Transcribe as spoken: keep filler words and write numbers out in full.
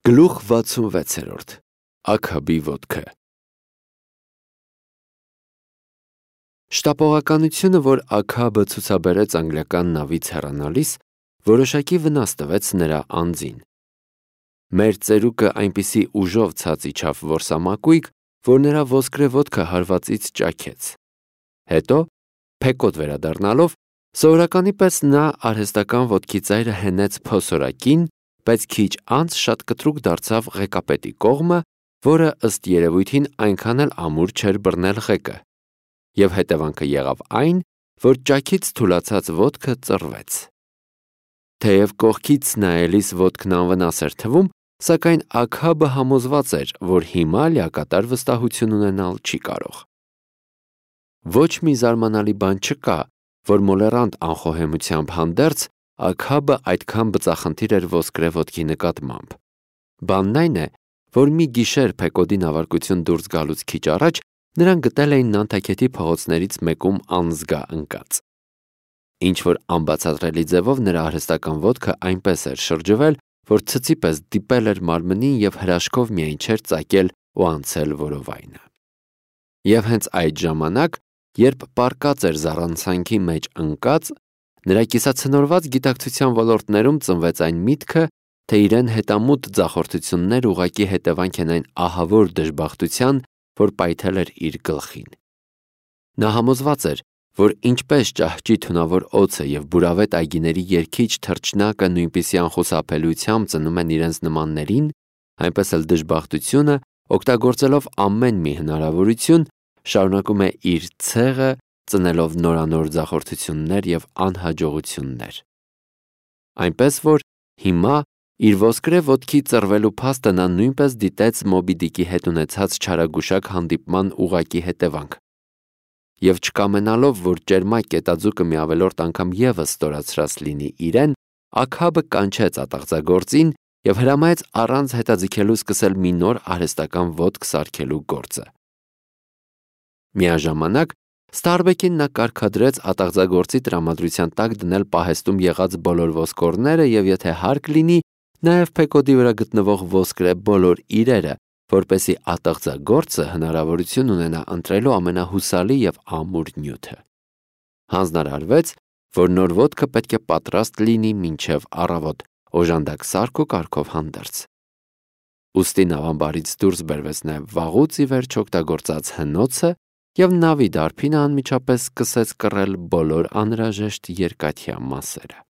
Գլուխ վաթսունվեցերորդ Աքաբի ոտքը Շտապողականությունը, որ Աքաբը ցուցաբերեց անգլիական նավից հեռանալիս, որոշակի վնաս տվեց նրա անձին։ Մեր ծերուկը այնպիսի ուժով ցած իջավ որսամակույկ, որ նրա ոսկրե ոտքը հարվածից ճաքեց։ Հետո, փեկոտ վերադառնալով, սովորականի պես նա արհեստական ոտքի ծայրը հենեց փոսորակին, բայց քիչ անց շատ կտրուկ դարձավ ղեկապետի կողմը, որը ըստ երևույթին այնքան էլ ամուր չէր բռնել ղեկը, և հետևանքը եղավ այն, որ ճաքից թուլացած ոտքը ծռվեց։ Թեև կողքից նայելիս ոտքն անվնաս էր թվում, սակայն Աքաբը համոզված էր, որ հիմա լիակատար վստահություն ունենալ չի կարող։ Ոչ մի զարմանալի բան չկա, որ մոլեռանդ անխոհեմությամբ հանդերձ Աքաբը այդքան բծախնդիր էր ոսկրե ոտքի նկատմամբ։ Բանն այն է, որ մի գիշեր Փեկոդի նավարկություն դուրս գալուց քիչ առաջ նրան գտել էին Նանթաքեթի փողոցներից մեկում անզգա ընկած։ Ինչ-որ անբացատրելի ձևով նրա արհեստական ոտքը այնպես էր շրջվել, որ ցցի պես դիպել էր մարմնին և հրաշքով միայն չէր ծակել ու անցել որովայնը։ Եվ հենց այդ ժամանակ, երբ պառկած էր զառանցանքի մեջ ընկած, նրա կիսացնորված գիտակցության ոլորտներում ծնվեց այն միտքը, թե իրեն հետամուտ ձախորդություններ ուղղակի հետևանք են այն ահավոր դժբախտության, որ պայթել էր իր գլխին։ Նա համոզված էր, որ ինչպես ճահճի թունավոր օձը և բուրավետ այգիների երգիչ թռչնակը նույնպիսի անխուսափելիությամբ ծնում են իրենց նմաններին, այնպես էլ դժբախտությունը, օգտագործելով ամեն մի հնարավորություն, շարունակում է իր ցեղը, ծնելով նորանոր ձախորդություններ և անհաջողություններ։ Այնպես որ հիմա իր ոսկրե ոտքի ծռվելու փաստը նա նույնպես դիտեց Մոբի Դիկի հետ ունեցած չարագուշակ հանդիպման ուղղակի հետևանք։ Եվ չկամենալով, որ ճերմակ կետաձուկը մի ավելորդ անգամ ևս ստորացրած լինի իրեն, Աքաբը կանչեց ատաղձագործին և հրամայեց առանց հետաձգելու սկսել մի նոր արհեստական ոտք սարքելու գործը։ Միաժամանակ Ստարբեկին նա կարգադրեց ատաղձագործի տրամադրության տակ դնել պահեստում եղած բոլոր ոսկորները և եթե հարկ լինի, նաև Փեկոդի վրա գտնվող ոսկրե բոլոր իրերը, որպեսզի ատաղձագործը հնարավորություն ունենա ընտրելու ամենահուսալի և ամուր նյութը։ Հանձնարարվեց, որ նոր ոտքը պետք է պատրաստ լինի մինչև առավոտ, օժանդակ սարք ու կարգով հանդերձ։ Ուստի նավամբարից դուրս բերվեց նաև վաղուց ի վերջ օգտագործած հնոցը, և նավի դարբինը անմիջապես սկսեց կռել բոլոր անհրաժեշտ երկաթյա մասերը։